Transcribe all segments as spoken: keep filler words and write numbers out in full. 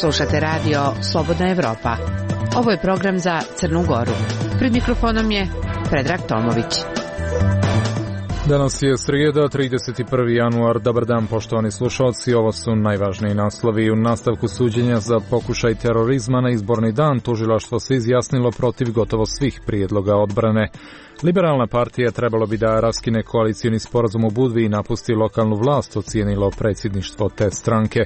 Slušate radio Slobodna Evropa. Ovo je program za Crnu Goru. Pred mikrofonom je Predrag Tomović. Danas je srijeda, trideset prvi januar. Dobar dan, poštovani slušalci. Ovo su najvažniji naslovi. U nastavku suđenja za pokušaj terorizma na izborni dan tužilaštvo se izjasnilo protiv gotovo svih prijedloga odbrane. Liberalna partija trebalo bi da raskine koalicioni sporazum u Budvi i napusti lokalnu vlast, ocijenilo predsjedništvo te stranke.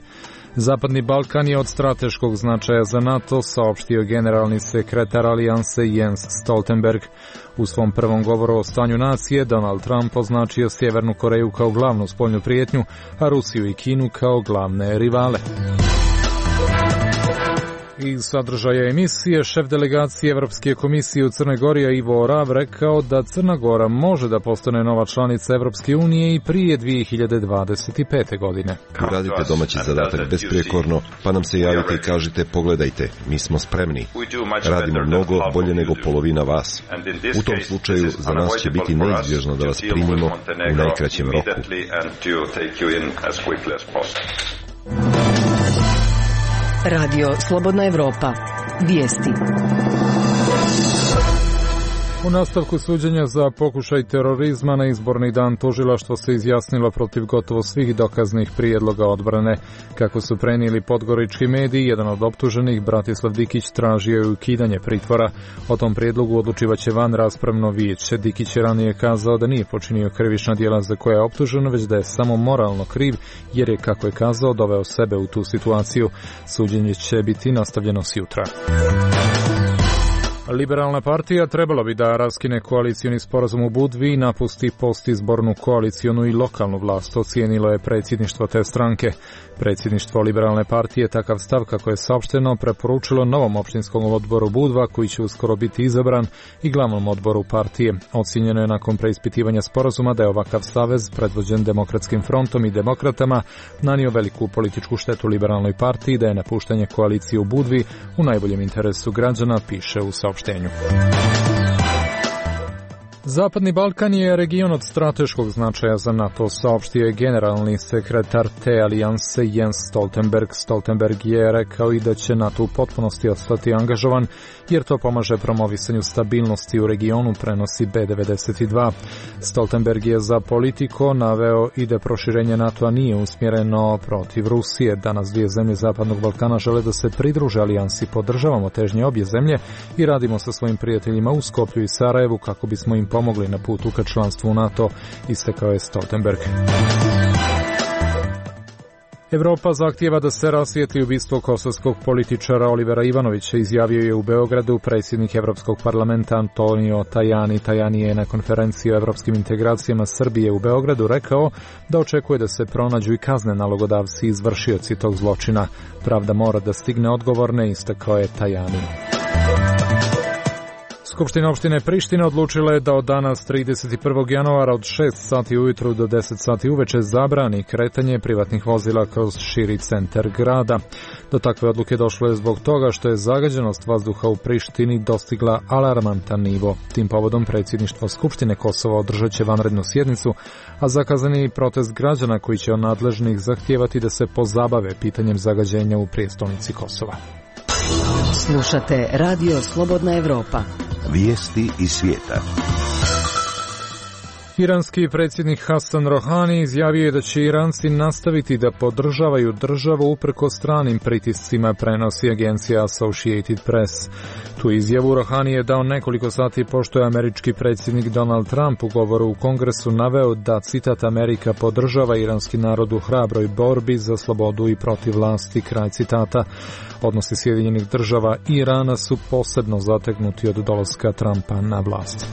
Zapadni Balkan je od strateškog značaja za NATO, saopštio generalni sekretar alijanse Jens Stoltenberg. U svom prvom govoru o stanju nacije Donald Trump označio Sjevernu Koreju kao glavnu spoljnu prijetnju, a Rusiju i Kinu kao glavne rivale. Iz sadržaja emisije, šef delegacije Evropske komisije u Crnoj Gori Ivo Orav rekao da Crna Gora može da postane nova članica Evropske unije i prije dvije hiljade dvadeset pete. godine. Radite domaći zadatak besprijekorno, pa nam se javite i kažite pogledajte, mi smo spremni. Radimo mnogo bolje nego polovina vas. U tom slučaju za nas će biti neizbježno da vas primimo u najkraćem roku. Radio Slobodna Evropa. Vijesti. U nastavku suđenja za pokušaj terorizma na izborni dan tužilaštvo se izjasnilo protiv gotovo svih dokaznih prijedloga odbrane. Kako su prenijeli podgorički mediji, jedan od optuženih, Bratislav Dikić, tražio je ukidanje pritvora. O tom prijedlogu odlučivaće van raspravno vijeće. Dikić je ranije kazao da nije počinio krivična djela za koja je optužen, već da je samo moralno kriv, jer je, kako je kazao, doveo sebe u tu situaciju. Suđenje će biti nastavljeno sjutra. Liberalna partija trebala bi da raskine koalicioni sporazum u Budvi i napusti postizbornu koalicionu i lokalnu vlast, ocijenilo je predsjedništvo te stranke. Predsjedništvo Liberalne partije takav stav, kako je saopšteno, preporučilo novom opštinskom odboru Budva, koji će uskoro biti izabran, i glavnom odboru partije. Ocijenjeno je nakon preispitivanja sporazuma da je ovakav savez, predvođen Demokratskim frontom i demokratama, nanio veliku političku štetu Liberalnoj partiji, da je napuštanje koalicije u Budvi u najboljem interesu građana, piše u saopštenju. Zapadni Balkan je region od strateškog značaja za NATO, saopštio je generalni sekretar te alijanse Jens Stoltenberg. Stoltenberg je rekao i da će NATO u potpunosti ostati angažovan, jer to pomaže promovisanju stabilnosti u regionu, prenosi B devedeset dva. Stoltenberg je za Politico naveo i da proširenje NATO-a nije usmjereno protiv Rusije. Danas dvije zemlje Zapadnog Balkana žele da se pridruže alijansi. Podržavamo težnje obje zemlje i radimo sa svojim prijateljima u Skoplju i Sarajevu kako bismo im pomogli na putu ka članstvu u NATO, istakao je Stoltenberg. Evropa zahtijeva da se rasvijetli ubistvo kosovskog političara Olivera Ivanovića, izjavio je u Beogradu predsjednik Evropskog parlamenta Antonio Tajani. Tajani je na konferenciji o evropskim integracijama Srbije u Beogradu rekao da očekuje da se pronađu i kazne nalogodavci i izvršioci tog zločina. Pravda mora da stigne odgovorne, istakao je Tajani. Skupština opštine Priština odlučila je da od danas trideset prvog januara od šest sati ujutru do deset sati uveče zabrani kretanje privatnih vozila kroz širi centar grada. Do takve odluke došlo je zbog toga što je zagađenost vazduha u Prištini dostigla alarmantan nivo. Tim povodom predsjedništvo Skupštine Kosova održat će vanrednu sjednicu, a zakazani protest građana koji će od nadležnih zahtijevati da se pozabave pitanjem zagađenja u prijestolnici Kosova. Slušate Radio Slobodna Evropa. Vijesti iz svijeta. Iranski predsjednik Hasan Rohani izjavio je da će Iranci nastaviti da podržavaju državu uprkos stranim pritiscima, prenosi agencija Associated Press. Tu izjavu Rohani je dao nekoliko sati pošto je američki predsjednik Donald Trump u govoru u Kongresu naveo da, citat, Amerika podržava iranski narod u hrabroj borbi za slobodu i protiv vlasti, kraj citata. Odnosi Sjedinjenih država i Irana su posebno zategnuti od dolaska Trumpa na vlast.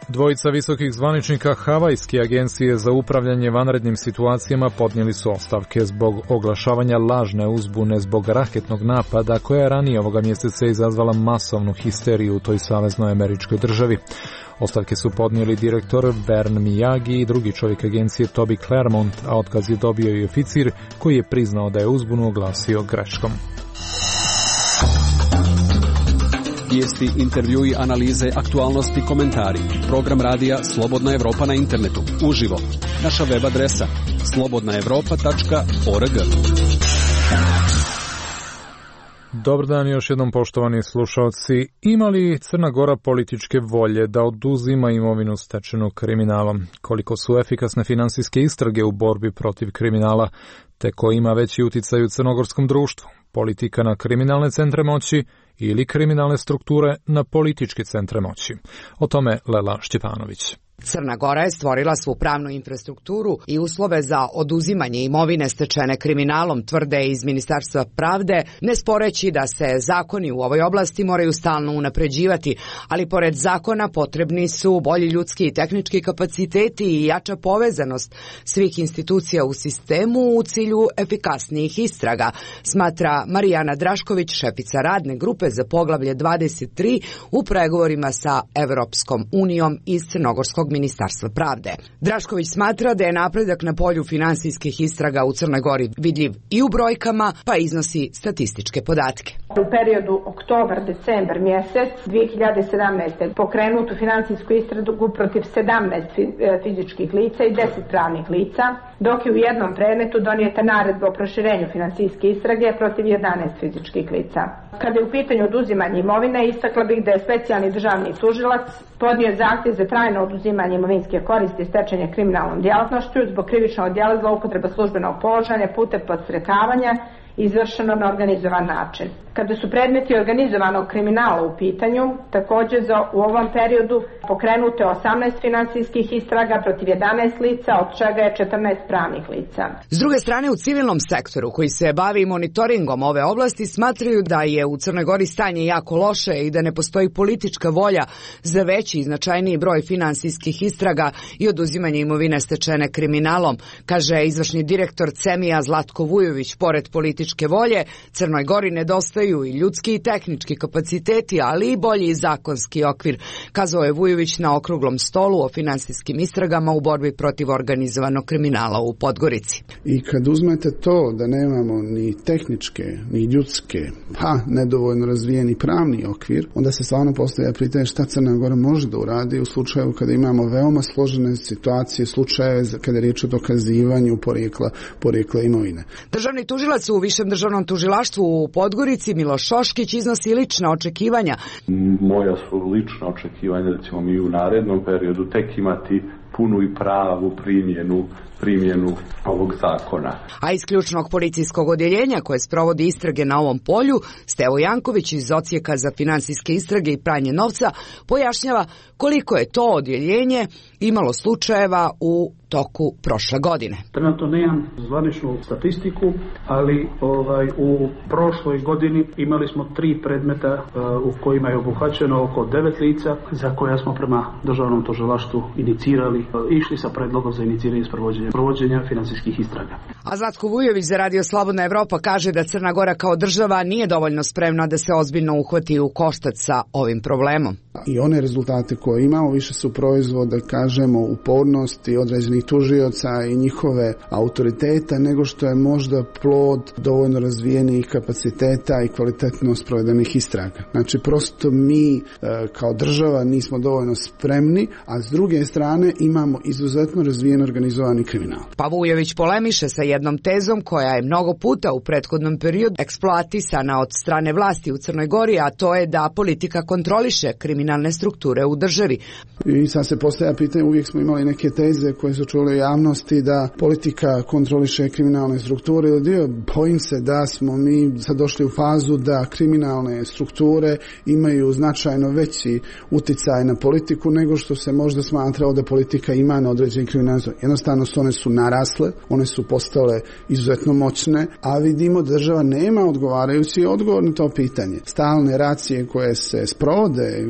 Dvojica visokih zvaničnika Havajske agencije za upravljanje vanrednim situacijama podnijeli su ostavke zbog oglašavanja lažne uzbune zbog raketnog napada koja je ranije ovoga mjeseca izazvala masovnu histeriju u toj saveznoj američkoj državi. Ostavke su podnijeli direktor Vern Miyagi i drugi čovjek agencije Toby Claremont, a otkaz je dobio i oficir koji je priznao da je uzbunu oglasio greškom. Vijesti, intervjui, analize, aktualnosti, komentari. Program radija Slobodna Evropa na internetu. Uživo. Naša web adresa slobodna evropa tačka org. Dobar dan još jednom, poštovani slušalci. Ima li Crna Gora političke volje da oduzima imovinu stečenu kriminalom? Koliko su efikasne finansijske istrage u borbi protiv kriminala, te ko ima veći uticaj u crnogorskom društvu? Politika na kriminalne centre moći ili kriminalne strukture na političke centre moći? O tome Lela Šćepanović. Crna Gora je stvorila svu pravnu infrastrukturu i uslove za oduzimanje imovine stečene kriminalom, tvrde iz Ministarstva pravde, ne sporeći da se zakoni u ovoj oblasti moraju stalno unapređivati, ali pored zakona potrebni su bolji ljudski i tehnički kapaciteti i jača povezanost svih institucija u sistemu u cilju efikasnijih istraga, smatra Marijana Drašković, šefica radne grupe za poglavlje dvadeset tri u pregovorima sa Evropskom unijom iz Crnogorskog Ministarstva pravde. Drašković smatra da je napredak na polju finansijskih istraga u Crnoj Gori vidljiv i u brojkama, pa iznosi statističke podatke. U periodu oktobar-decembar mjesec dvije hiljade sedamnaeste. pokrenutu finansijsku istragu protiv sedamnaest fizičkih lica i deset pravnih lica, dok je u jednom predmetu donijeta naredba o proširenju finansijske istrage protiv jedanaest fizičkih lica. Kada je u pitanju oduzimanje imovine, istakla bih da je specijalni državni tužilac podnio zahtjev za trajno oduzimanje imovinske koristi stečene kriminalnom djelatnošću zbog krivičnog djela zloupotreba službenog položaja putem podstrekavanja izvršeno na organizovan način. Kada su predmeti organizovanog kriminala u pitanju, također za u ovom periodu pokrenute osamnaest finansijskih istraga protiv jedanaest lica, od čega je četrnaest pravnih lica. S druge strane, u civilnom sektoru koji se bavi monitoringom ove oblasti smatraju da je u Crnoj Gori stanje jako loše i da ne postoji politička volja za veći i značajniji broj finansijskih istraga i oduzimanje imovine stečene kriminalom, kaže izvršni direktor Cemija Zlatko Vujović. Pored političke volje, Crnoj Gori nedostaju i ljudski i tehnički kapaciteti, ali i bolji zakonski okvir, kazao je Vujović na okruglom stolu o finansijskim istragama u borbi protiv organizovanog kriminala u Podgorici. I kad uzmete to da nemamo ni tehničke, ni ljudske, pa nedovoljno razvijeni pravni okvir, onda se stvarno postavlja pitanje šta Crna Gora može da uradi u slučaju kada imamo veoma složene situacije, slučajeve kada je riječ o dokazivanju porijekla, porijekla imovine. Državni tužilac u Višem državnom tužilaštvu u Podgorici Miloš Šoškić iznosi lična očekivanja. Moja su lična očekivanja da ćemo mi u narednom periodu tek imati punu i pravu primjenu primjenu ovog zakona. A iz ključnog policijskog odjeljenja koje sprovodi istrage na ovom polju, Stevo Janković iz Odsjeka za finansijske istrage i pranje novca pojašnjava koliko je to odjeljenje imalo slučajeva u toku prošle godine. Trenutno nemam zvaničnu statistiku, ali ovaj u prošloj godini imali smo tri predmeta uh, u kojima je obuhvaćeno oko devet lica za koja smo prema državnom tužilaštvu inicirali, uh, išli sa predlogom za iniciranje sprovođenja provođenja finansijskih istraga. A Zlatko Vujović za Radio Slobodna Evropa kaže da Crna Gora kao država nije dovoljno spremna da se ozbiljno uhvati u koštac sa ovim problemom. I one rezultate koje imamo više su proizvod, da kažemo, upornosti određenih tužioca i njihove autoriteta, nego što je možda plod dovoljno razvijenih kapaciteta i kvalitetno sprovedenih istraga. Znači, prosto mi e, kao država nismo dovoljno spremni, a s druge strane imamo izuzetno razvijen organizovani kriminal. Pa Vujović polemiše sa jednom tezom koja je mnogo puta u prethodnom periodu eksploatisana od strane vlasti u Crnoj Gori, a to je da politika kontroliše kriminalne strukture u državi. I sad se postavlja pitanje, uvijek smo imali neke teze koje su čule u javnosti da politika kontroliše kriminalne strukture. Dio, bojim se da smo mi sad došli u fazu da kriminalne strukture imaju značajno veći uticaj na politiku nego što se možda smatrao da politika ima na određeni kriminalne strukture. Jednostavno one su narasle, one su postale izuzetno moćne, a vidimo da država nema odgovarajući odgovor na to pitanje. Stalne racije koje se sprovode,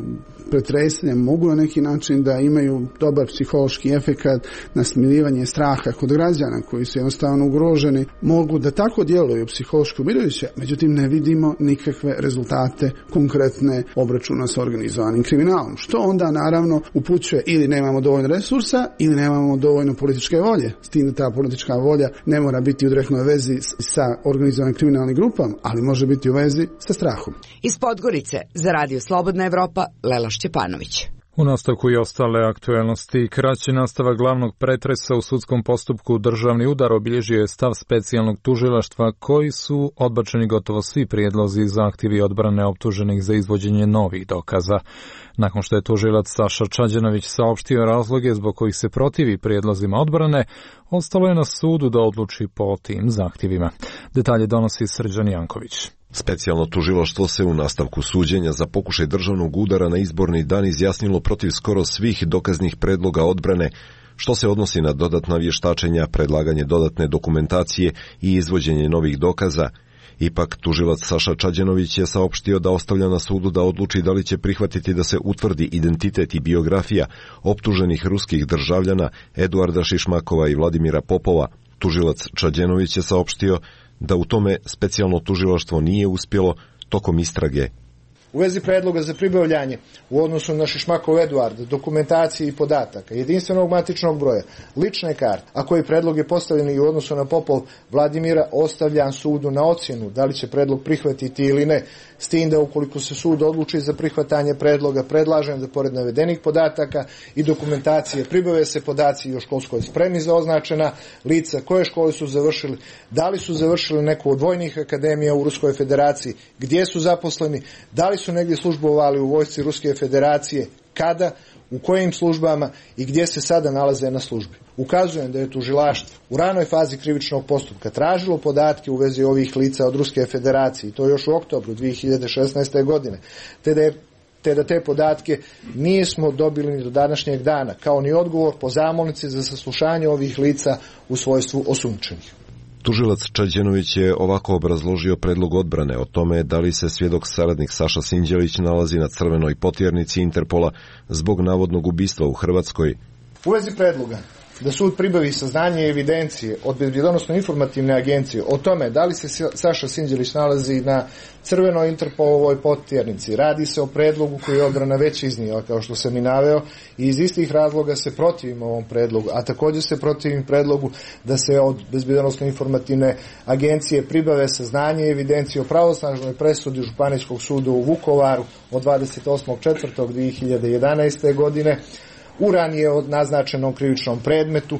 pretresanje mogu na neki način da imaju dobar psihološki efekat na smirivanje straha kod građana koji su jednostavno ugroženi, mogu da tako djeluju psihološko umirujuće, međutim ne vidimo nikakve rezultate konkretne obračuna sa organizovanim kriminalom, što onda naravno upućuje ili nemamo dovoljno resursa ili nemamo dovoljno političke volje, s tim da ta politička volja ne mora biti u direktnoj vezi sa organizovanim kriminalnim grupama, ali može biti u vezi sa strahom. Iz Podgorice za Radio Slobodna Evropa, Lela Šćepanović. U nastavku i ostale aktuelnosti, kraći nastavak glavnog pretresa u sudskom postupku državni udar obilježio je stav specijalnog tužilaštva koji su odbačeni gotovo svi prijedlozi i zahtjevi odbrane optuženih za izvođenje novih dokaza. Nakon što je tužilac Saša Čađanović saopštio razloge zbog kojih se protivi prijedlozima odbrane, ostalo je na sudu da odluči po tim zahtjevima. Detalje donosi Srđan Janković. Specijalno tužilaštvo se u nastavku suđenja za pokušaj državnog udara na izborni dan izjasnilo protiv skoro svih dokaznih predloga odbrane, što se odnosi na dodatna vještačenja, predlaganje dodatne dokumentacije i izvođenje novih dokaza. Ipak, tužilac Saša Čađanović je saopštio da ostavlja na sudu da odluči da li će prihvatiti da se utvrdi identitet i biografija optuženih ruskih državljana Eduarda Šišmakova i Vladimira Popova. Tužilac Čađanović je saopštio da u tome specijalno tužilaštvo nije uspjelo tokom istrage. U vezi predloga za pribavljanje u odnosu na Šišmakov Eduarda, dokumentacije i podataka, jedinstvenog matičnog broja, lične karte, a koji predlog je postavljen i u odnosu na Popov Vladimira, ostavljan sudu na ocjenu da li će predlog prihvatiti ili ne, s tim da ukoliko se sud odluči za prihvatanje predloga, predlažem da pored navedenih podataka i dokumentacije pribave se podaci o školskoj spremi za označena lica, koje škole su završili, da li su završili neku od vojnih akademija u Ruskoj federaciji, gdje su zaposleni, da li su negdje službovali u vojsci Ruske federacije, kada, u kojim službama i gdje se sada nalaze na službi. Ukazujem da je tužilaštvo u ranoj fazi krivičnog postupka tražilo podatke u vezi ovih lica od Ruske federacije, i to još u oktobru dvije hiljade šesnaeste. godine, te da je te da te podatke nismo dobili ni do današnjeg dana, kao ni odgovor po zamolnici za saslušanje ovih lica u svojstvu osumnjičenih. Tužilac Čađanović je ovako obrazložio predlog odbrane o tome da li se svjedok saradnik Saša Sinđelić nalazi na crvenoj potjernici Interpola zbog navodnog ubistva u Hrvatskoj. U vezi predloga da sud pribavi saznanje i evidencije od Bezbjednosno-informativne agencije o tome da li se Saša Sinđelić nalazi na crvenoj Interpolovoj potjernici. Radi se o predlogu koji je odbrana već iznijela, kao što sam i naveo, i iz istih razloga se protivimo ovom predlogu, a također se protivim predlogu da se od Bezbjednosno-informativne agencije pribave saznanje i evidencije o pravosnažnoj presudi Županijskog suda u Vukovaru od dvadeset osmog četvrtog dvije hiljade jedanaeste. godine, u ranije od naznačenom krivičnom predmetu.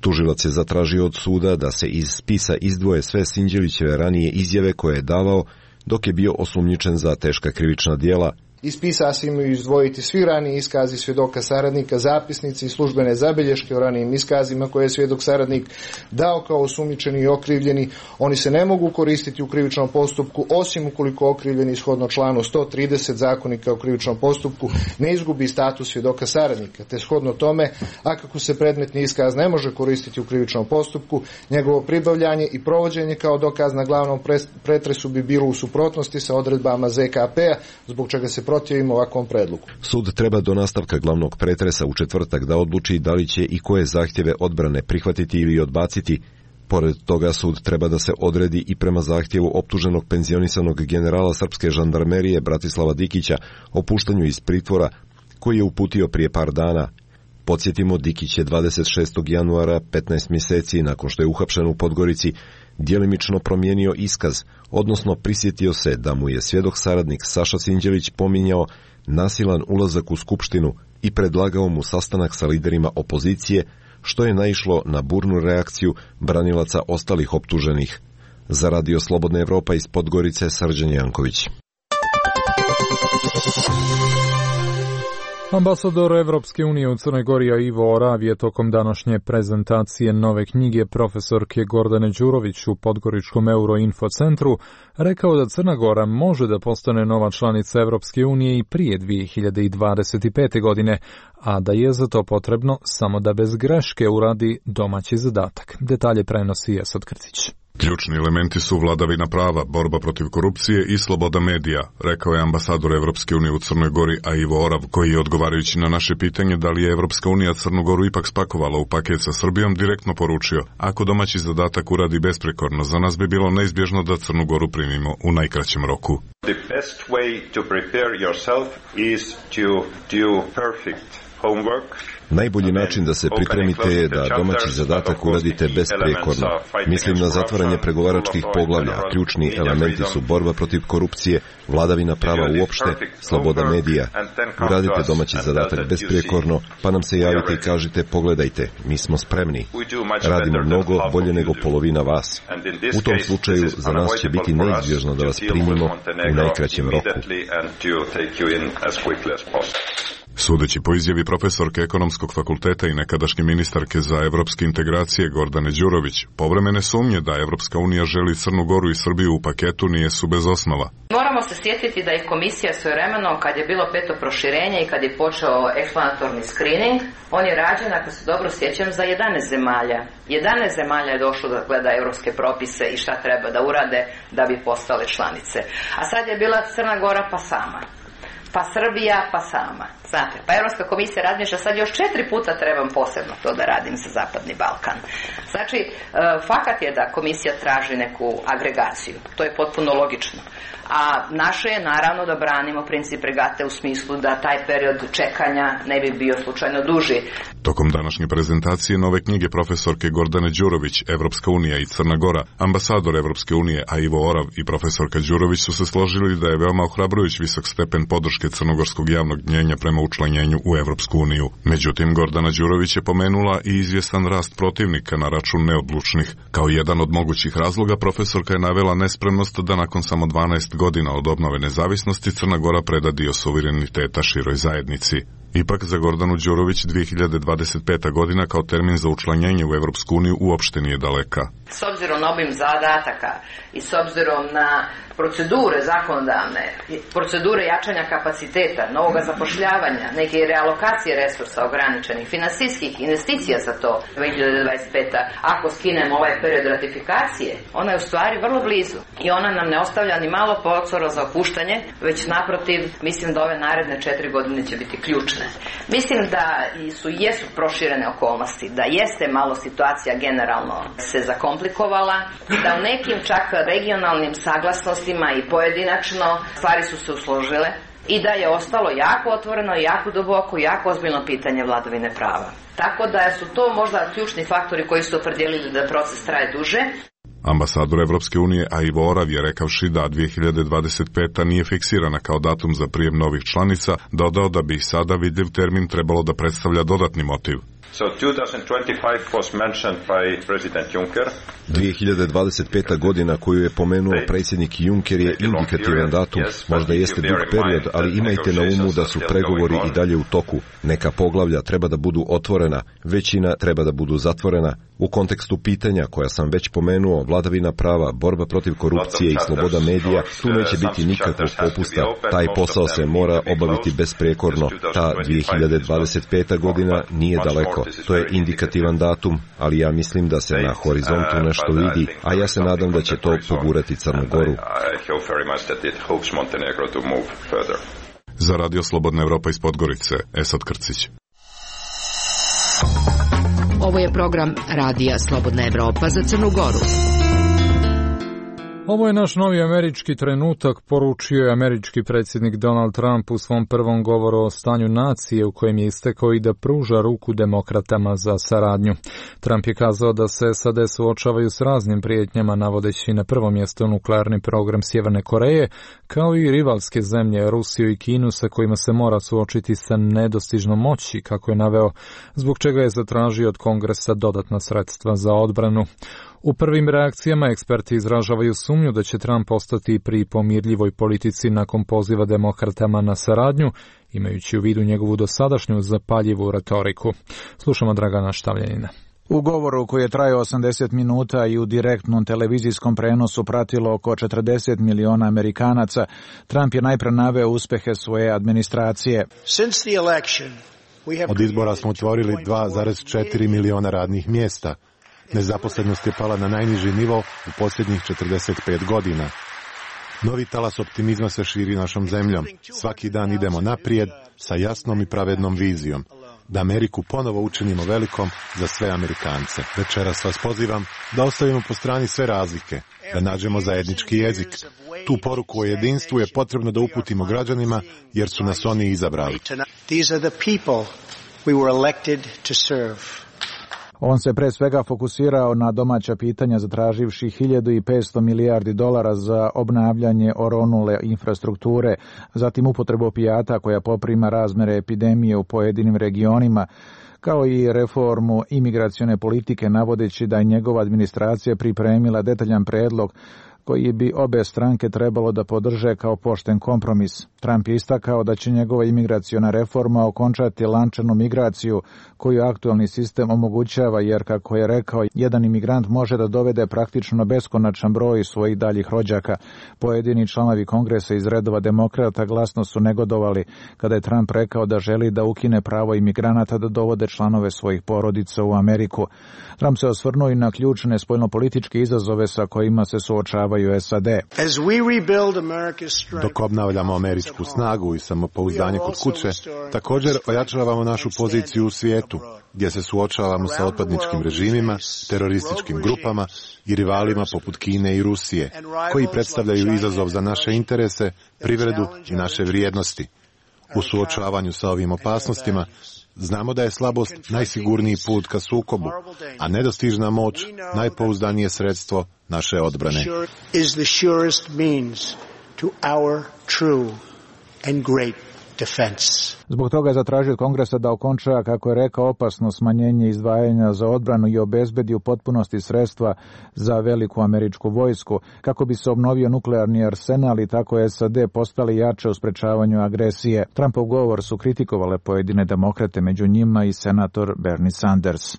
Tužilac je zatražio od suda da se iz spisa izdvoje sve Sinđelićeve ranije izjave koje je davao dok je bio osumnjičen za teška krivična djela. Iz spisa se imaju izdvojiti svi raniji iskazi svjedoka saradnika, zapisnici i službene zabilješke o ranijim iskazima koje je svjedok saradnik dao kao osumnjičeni i okrivljeni. Oni se ne mogu koristiti u krivičnom postupku osim ukoliko okrivljeni shodno članu sto trideset Zakonika o krivičnom postupku ne izgubi status svjedoka saradnika, te shodno tome, a kako se predmetni iskaz ne može koristiti u krivičnom postupku, njegovo pribavljanje i provođenje kao dokaz na glavnom pretresu bi bilo u suprotnosti sa odredbama Z K P-a, zbog čega se protivimo ovakvom predlogu. Sud treba do nastavka glavnog pretresa u četvrtak da odluči da li će i koje zahtjeve odbrane prihvatiti ili odbaciti. Pored toga, sud treba da se odredi i prema zahtjevu optuženog penzionisanog generala srpske žandarmerije Bratislava Dikića o puštanju iz pritvora koji je uputio prije par dana. Podsjetimo, Dikić je dvadeset šestog januara, petnaest mjeseci nakon što je uhapšen u Podgorici, djelimično promijenio iskaz, odnosno prisjetio se da mu je svjedok saradnik Saša Sinđelić pominjao nasilan ulazak u skupštinu i predlagao mu sastanak sa liderima opozicije, što je naišlo na burnu reakciju branilaca ostalih optuženih. Za Radio Slobodna Evropa iz Podgorice, Srđan Janković. Ambasador Evropske unije u Crnoj Gori Ivo Orav je tokom današnje prezentacije nove knjige profesorke Gordane Đurović u Podgoričkom Euroinfo centru rekao da Crna Gora može da postane nova članica Evropske unije i prije dvije hiljade dvadeset pete. godine, a da je za to potrebno samo da bez greške uradi domaći zadatak. Detalje prenosi Esad Krcić. Ključni elementi su vladavina prava, borba protiv korupcije i sloboda medija, rekao je ambasador Evropske unije u Crnoj Gori Ivo Orav, koji je odgovarajući na naše pitanje da li je Evropska unija Crnu Goru ipak spakovala u paket sa Srbijom, direktno poručio: ako domaći zadatak uradi besprekorno, za nas bi bilo neizbježno da Crnu Goru primimo u najkraćem roku. The best way to prepare yourself is to do perfect Najbolji način da se pripremite je da domaći zadatak uradite besprekorno. Mislim na zatvaranje pregovaračkih poglavlja. Ključni elementi su borba protiv korupcije, vladavina prava uopšte, sloboda medija. Uradite domaći zadatak besprekorno, pa nam se javite i kažite pogledajte, mi smo spremni. Radimo mnogo bolje nego polovina vas. U tom slučaju za nas će biti neizbježno da vas primimo u najkraćem roku. Sudeći po izjavi profesorke Ekonomskog fakulteta i nekadašnje ministarke za evropske integracije Gordane Đurović, povremene sumnje da Evropska unija želi Crnu Goru i Srbiju u paketu nijesu bez osnova. Moramo se sjetiti da je komisija svojevremeno, kad je bilo peto proširenje i kad je počeo eksplanatorni screening, on je rađen, ako se dobro sjećam, za jedanaest zemalja. jedanaest zemalja je došlo da gleda evropske propise i šta treba da urade da bi postale članice. A sad je bila Crna Gora pa sama. Pa Srbija, pa sama. Znate, pa Europska komisija razmišlja, sad još četiri puta trebam posebno to da radim za Zapadni Balkan. Znači, fakat je da komisija traži neku agregaciju. To je potpuno logično. A naše je naravno da branimo princip regate u smislu da taj period čekanja ne bi bio slučajno duži. Tokom današnje prezentacije nove knjige profesorke Gordane Đurović, Evropska unija i Crna Gora, ambasador Evropske unije, a Ivo Orav i profesorka Đurović su se složili da je veoma ohrabrujuć visok stepen podrške crnogorskog javnog mnjenja prema učlanjenju u Evropsku uniju. Međutim, Gordana Đurović je pomenula i izvjestan rast protivnika na račun neodlučnih. Kao jedan od mogućih razloga, profesorka je navela nespremnost da nakon samo dvanaest godina od obnove nezavisnosti Crna Gora preda dio suvereniteta široj zajednici. Ipak za Gordanu Đurović dvije hiljade dvadeset peta godina kao termin za učlanjenje u Evropsku uniju uopšte nije daleka. S obzirom na obim zadataka i s obzirom na procedure zakonodavne, procedure jačanja kapaciteta, novoga zapošljavanja, neke realokacije resursa ograničenih, finansijskih investicija za to dvije hiljade dvadeset peta. Ako skinemo ovaj period ratifikacije, ona je u stvari vrlo blizu i ona nam ne ostavlja ni malo prostora za opuštanje, već naprotiv, mislim da ove naredne četiri godine će biti ključne. Mislim da su jesu proširene okolnosti, da jeste malo situacija generalno se zakomplikovala, da u nekim čak regionalnim saglasnostima i pojedinačno stvari su se usložile i da je ostalo jako otvoreno, jako duboko, jako ozbiljno pitanje vladavine prava. Tako da su to možda ključni faktori koji su opredjelili da proces traje duže. Ambasador Evropske unije, a Ivo Orav je rekavši da dvije hiljade dvadeset peta nije fiksirana kao datum za prijem novih članica, dodao da bi ih sada vidljiv termin trebalo da predstavlja dodatni motiv. So twenty twenty-five was mentioned by President Juncker. dvije hiljade dvadeset peta godina koju je pomenuo predsjednik Juncker je indikativan datum. Možda jeste dug period, ali imajte na umu da su pregovori i dalje u toku. Neka poglavlja treba da budu otvorena, većina treba da budu zatvorena. U kontekstu pitanja koja sam već pomenuo, vladavina prava, borba protiv korupcije i sloboda medija, tu neće biti nikakvog popusta. Taj posao se mora obaviti besprekorno. Ta dvije hiljade dvadeset peta godina nije daleko. To je indikativan datum, ali ja mislim da se na horizontu nešto vidi, a ja se nadam da će to pogurati Crnu Goru. Za Radio Slobodna Evropa iz Podgorice, Esad Krcić. Ovo je program Radija Slobodna Evropa za Crnu Goru. Ovo je naš novi američki trenutak, poručio je američki predsjednik Donald Trump u svom prvom govoru o stanju nacije u kojem je istekao i da pruža ruku demokratama za saradnju. Trump je kazao da se S A D suočavaju s raznim prijetnjama, navodeći na prvo mjesto nuklearni program Sjeverne Koreje, kao i rivalske zemlje Rusiju i Kinu sa kojima se mora suočiti sa nedostižnom moći, kako je naveo, zbog čega je zatražio od Kongresa dodatna sredstva za odbranu. U prvim reakcijama eksperti izražavaju sumnju da će Trump ostati pri pomirljivoj politici nakon poziva demokratama na saradnju, imajući u vidu njegovu dosadašnju zapaljivu retoriku. Slušamo Dragana Štavljanina. U govoru koji je trajao osamdeset minuta i u direktnom televizijskom prenosu pratilo oko četrdeset miliona Amerikanaca, Trump je najpre naveo uspehe svoje administracije. Od izbora smo otvorili dva zarez četiri miliona radnih mjesta. Nezaposlenost je pala na najniži nivo u posljednjih četrdeset pet godina. Novi talas optimizma se širi našom zemljom. Svaki dan idemo naprijed sa jasnom i pravednom vizijom. Da Ameriku ponovo učinimo velikom za sve Amerikance. Večeras vas pozivam da ostavimo po strani sve razlike, da nađemo zajednički jezik. Tu poruku o jedinstvu je potrebno da uputimo građanima jer su nas oni izabrali. We were elected to serve. On se pre svega fokusirao na domaća pitanja zatraživši hiljadu petsto milijardi dolara za obnavljanje oronule infrastrukture, zatim upotrebu opijata koja poprima razmere epidemije u pojedinim regionima, kao i reformu imigracione politike, navodeći da je njegova administracija pripremila detaljan predlog koji bi obe stranke trebalo da podrže kao pošten kompromis. Trump je istakao da će njegova imigraciona reforma okončati lančanu migraciju koju aktualni sistem omogućava, jer, kako je rekao, jedan imigrant može da dovede praktično beskonačan broj svojih daljih rođaka. Pojedini članovi kongresa iz redova demokrata glasno su negodovali kada je Trump rekao da želi da ukine pravo imigranata da dovode članove svojih porodica u Ameriku. Trump se osvrnuo i na ključne spoljnopolitičke izazove sa kojima se suočavaju S A D. Dok obnavljamo američku snagu i samopouzdanje kod kuće, također ojačavamo našu poziciju u svijetu, gdje se suočavamo sa otpadničkim režimima, terorističkim grupama i rivalima poput Kine i Rusije, koji predstavljaju izazov za naše interese, privredu i naše vrijednosti. U suočavanju sa ovim opasnostima, znamo da je slabost najsigurniji put ka sukobu, a nedostižna moć najpouzdanije sredstvo naše odbrane. Zbog toga je zatražio od Kongresa da okonča, kako je rekao, opasno smanjenje izdvajanja za odbranu i obezbedi u potpunosti sredstva za veliku američku vojsku, kako bi se obnovio nuklearni arsenal i tako S A D postali jače u sprečavanju agresije. Trumpov govor su kritikovale pojedine demokrate, među njima i senator Bernie Sanders.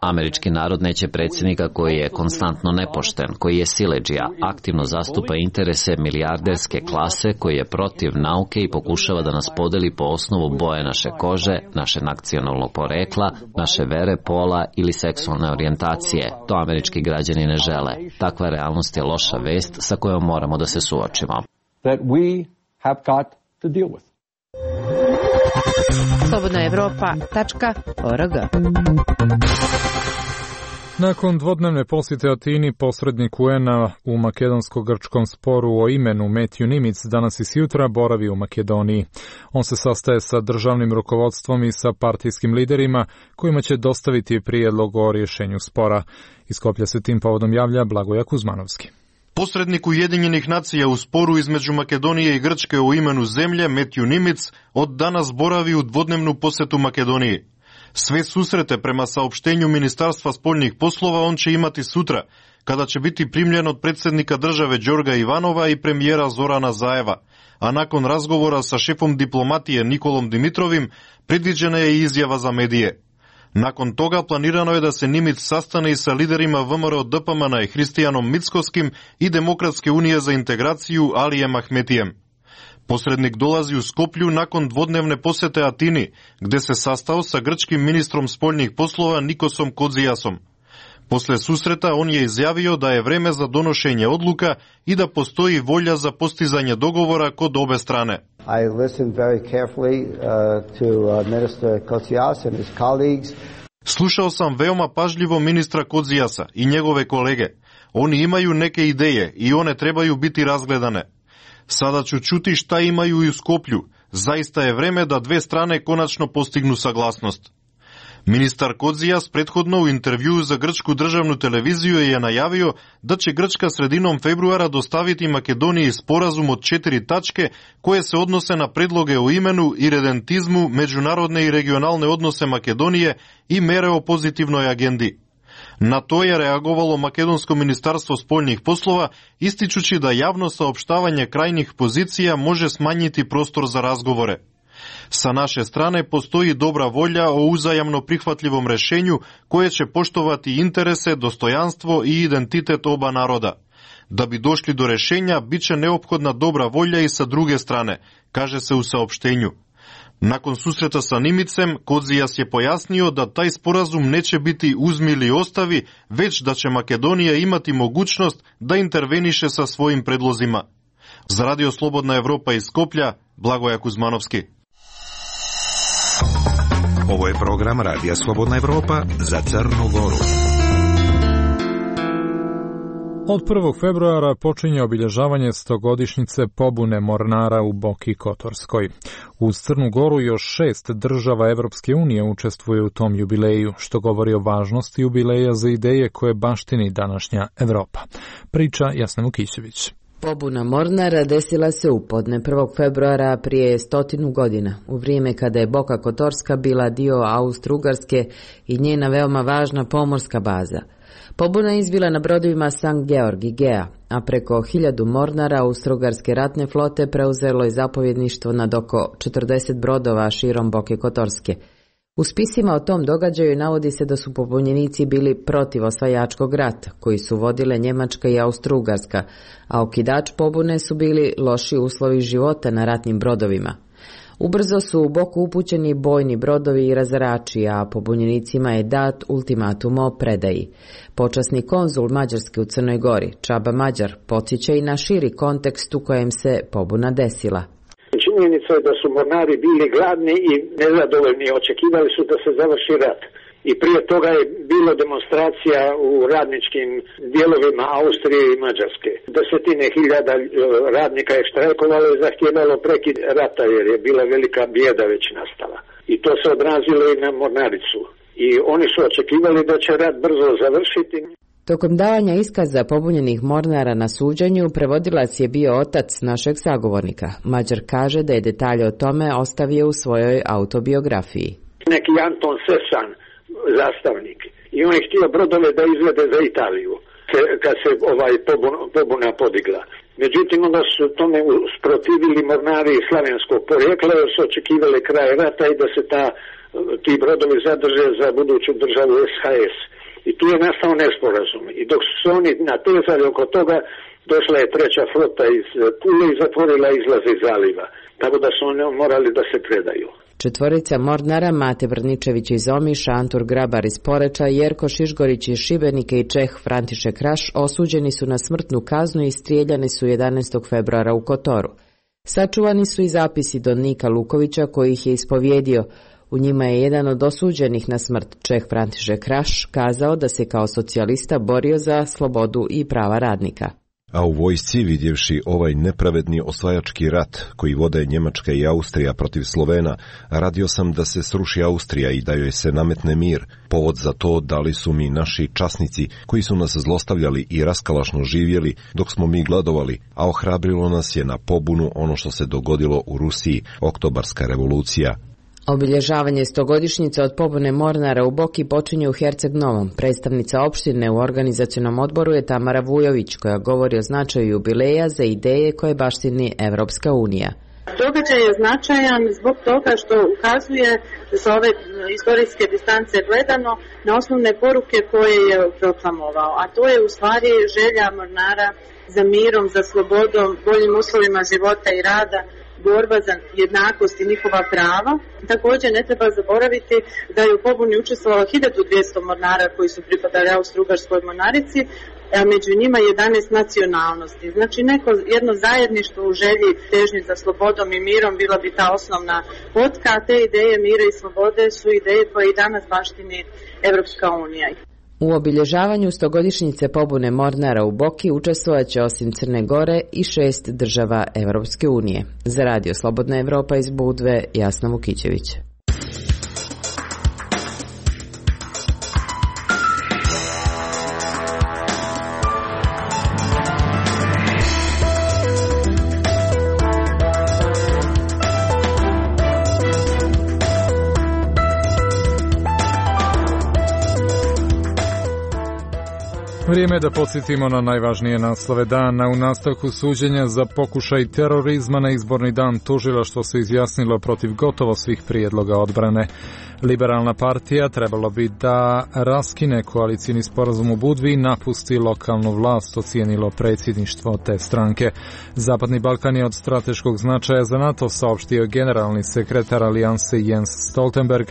Američki narod neće predsjednika koji je konstantno nepošten, koji je siledžija, aktivno zastupa interese milijarderske klase, koji je protiv nauke i pokušava da nas podeli po osnovu boje naše kože, naše nacionalnog porekla, naše vere, pola ili seksualne orijentacije. To američki građani ne žele. Takva realnost je loša vest sa kojom moramo da se suočimo. slobodna evropa tačka org. Nakon dvodnevne posjete Atini, posrednik U N A u makedonsko-grčkom sporu o imenu Matthew Nimitz danas i sjutra boravi u Makedoniji. On se sastaje sa državnim rukovodstvom i sa partijskim liderima kojima će dostaviti prijedlog o rješenju spora. Iz Skoplja se tim povodom javlja Blagoja Kuzmanovski. Posrednik Ujedinjenih nacija u sporu između Makedonije i Grčke o imenu zemlje, Matthew Nimitz, od danas boravi u dvodnevnu posjetu Makedoniji. Sve susrete prema saopštenju Ministarstva spoljnih poslova on će imati sutra, kada će biti primljen od predsjednika države Đorga Ivanova i premijera Zorana Zajeva, a nakon razgovora sa šefom diplomatije Nikolom Dimitrovim predviđena je i izjava za medije. Nakon toga planirano je da se Nimitz sastane i sa liderima V M R O D P M N-a i Hristijanom Mickoskim i Demokratske unije za integraciju Alijem Ahmetijem. Posrednik dolazi u Skoplju nakon dvodnevne posjete Atini, gde se sastao sa grčkim ministrom spoljnih poslova Nikosom Kodzijasom. Posle susreta on je izjavio da je vreme za donošenje odluka i da postoji volja za postizanje dogovora kod obe strane. I listened very carefully uh, to uh, Minister Kotsias and his colleagues. Slušao sam veoma pažljivo ministra Kodzijasa i njegove kolege. Oni imaju neke ideje i one trebaju biti razgledane. Sada ću čuti šta imaju i u Skoplju. Zaista je vreme da dve strane konačno postignu saglasnost. Ministar Kodzijas prethodno u intervjuu za grčku državnu televiziju je najavio da će Grčka sredinom februara dostaviti Makedoniji sporazum od četiri tačke koje se odnose na predloge o imenu i redentizmu, međunarodne i regionalne odnose Makedonije i mere o pozitivnoj agendi. Na to je reagovalo Makedonsko ministarstvo spoljnih poslova, ističući da javno saopštavanje krajnjih pozicija može smanjiti prostor za razgovore. Sa naše strane postoji dobra volja o uzajamno prihvatljivom rešenju koje će poštovati interese, dostojanstvo i identitet oba naroda. Da bi došli do rešenja, bit će neophodna dobra volja i sa druge strane, kaže se u saopštenju. Nakon susreta sa Nimicem, Kodzijas je pojasnio da taj sporazum neće biti uzmi ili ostavi, već da će Makedonija imati mogućnost da interveniše sa svojim predlozima. Za Radio Slobodna Evropa iz Skoplja, Blagoja Kuzmanovski. Ovo je program Radija Slobodna Evropa za Crnu Goru. Od prvog februara počinje obilježavanje stogodišnjice pobune Mornara u Boki Kotorskoj. Uz Crnu Goru još šest država Evropske unije učestvuje u tom jubileju, što govori o važnosti jubileja za ideje koje baštini današnja Evropa. Priča Jasna Vukićević. Pobuna Mornara desila se u podne prvog februara prije stotinu godina, u vrijeme kada je Boka Kotorska bila dio Austro-Ugarske i njena veoma važna pomorska baza. Pobuna je izbila na brodovima Sankt Georg i Gea, a preko hiljadu Mornara Austro-Ugarske ratne flote preuzelo je zapovjedništvo nad oko četrdeset brodova širom Boke Kotorske. U spisima o tom događaju navodi se da su pobunjenici bili protiv osvajačkog rata, koji su vodile Njemačka i Austro-Ugarska, a okidač pobune su bili loši uslovi života na ratnim brodovima. Ubrzo su u Boku upućeni bojni brodovi i razarači, a pobunjenicima je dat ultimatum o predaji. Počasni konzul Mađarske u Crnoj Gori, Čaba Mađar, podsjeća i na širi kontekst u kojem se pobuna desila. Činjenica je da su mornari bili gladni i nezadovoljni, očekivali su da se završi rat. I prije toga je bilo demonstracija u radničkim dijelovima Austrije i Mađarske. Desetine hiljada radnika je štrajkovalo i zahtijevalo prekid rata jer je bila velika bijeda već nastala. I to se odrazilo i na mornaricu. I oni su očekivali da će rat brzo završiti. Tokom davanja iskaza pobunjenih Mornara na suđenju, prevodilac je bio otac našeg sagovornika. Mađar kaže da je detalje o tome ostavio u svojoj autobiografiji. Neki Anton Sesan, zastavnik, i on je htio brodove da izvede za Italiju kad se ovaj pobuna podigla. Međutim, onda su tome usprotivili mornari slavenskog porijekla jer su očekivali kraj rata i da se ta, ti brodovi zadrže za buduću državu S H S. I tu je nastao nesporazum. I dok su se oni natezali oko toga, došla je treća flota iz Pule i zatvorila izlaze iz zaliva. Tako da su oni morali da se predaju. Četvorica Mornara, Mate Vrničević iz Omiša, Antur Grabar iz Poreča, Jerko Šišgorić iz Šibenika i Čeh František Raš osuđeni su na smrtnu kaznu i strijeljani su jedanaestog februara u Kotoru. Sačuvani su i zapisi Don Nika Lukovića koji ih je ispovjedio. U njima je jedan od osuđenih na smrt, Čeh František Raš, kazao da se kao socijalista borio za slobodu i prava radnika. A u vojsci, vidjevši ovaj nepravedni osvajački rat koji vode Njemačka i Austrija protiv Slovena, radio sam da se sruši Austrija i da joj se nametne mir. Povod za to dali su mi naši časnici koji su nas zlostavljali i raskalašno živjeli dok smo mi gladovali, a ohrabrilo nas je na pobunu ono što se dogodilo u Rusiji, Oktobarska revolucija. Obilježavanje stogodišnjice od pobune Mornara u Boki počinje u Herceg Novom. Predstavnica opštine u organizacionom odboru je Tamara Vujović, koja govori o značaju jubileja za ideje koje baštini Evropska unija. Događaj je značajan zbog toga što ukazuje sa ove istorijske distance gledano na osnovne poruke koje je proklamovao, a to je u stvari želja Mornara za mirom, za slobodom, boljim uslovima života i rada, borba za jednakost i njihova prava. Također ne treba zaboraviti da je u pobuni učestvovalo hiljadu dvjesto mornara koji su pripadali Austro-Ugarskoj mornarici, a među njima jedanaest nacionalnosti. Znači neko jedno zajedništvo u želji težnji za slobodom i mirom bila bi ta osnovna potka, a te ideje mira i slobode su ideje koje i danas baštini Evropska unija. U obilježavanju stogodišnjice pobune Mornara u Boki učestvovat će osim Crne Gore i šest država Evropske unije. Za Radio Slobodna Evropa iz Budve, Jasna Vukićević. Vrijeme je da podsjetimo na najvažnije naslove dana. U nastavku suđenja za pokušaj terorizma na izborni dan tužilaštvo se izjasnilo protiv gotovo svih prijedloga odbrane. Liberalna partija trebalo bi da raskine koalicijni sporazum u Budvi i napusti lokalnu vlast, ocijenilo predsjedništvo te stranke. Zapadni Balkan je od strateškog značaja za NATO, saopštio generalni sekretar alijanse Jens Stoltenberg.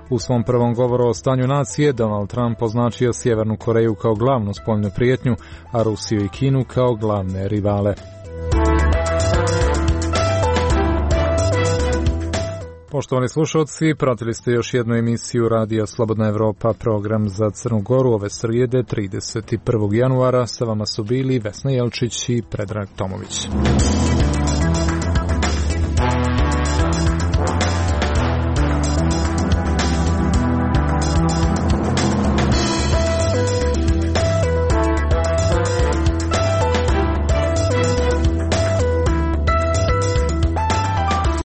U svom prvom govoru o stanju nacije Donald Trump označio Sjevernu Koreju kao glavnu spoljnu prijetnju, a Rusiju i Kinu kao glavne rivale. Poštovani slušalci, pratili ste još jednu emisiju Radija Slobodna Evropa, program za Crnu Goru ove srijede trideset prvog januara. Sa vama su bili Vesna Jelčić i Predrag Tomović.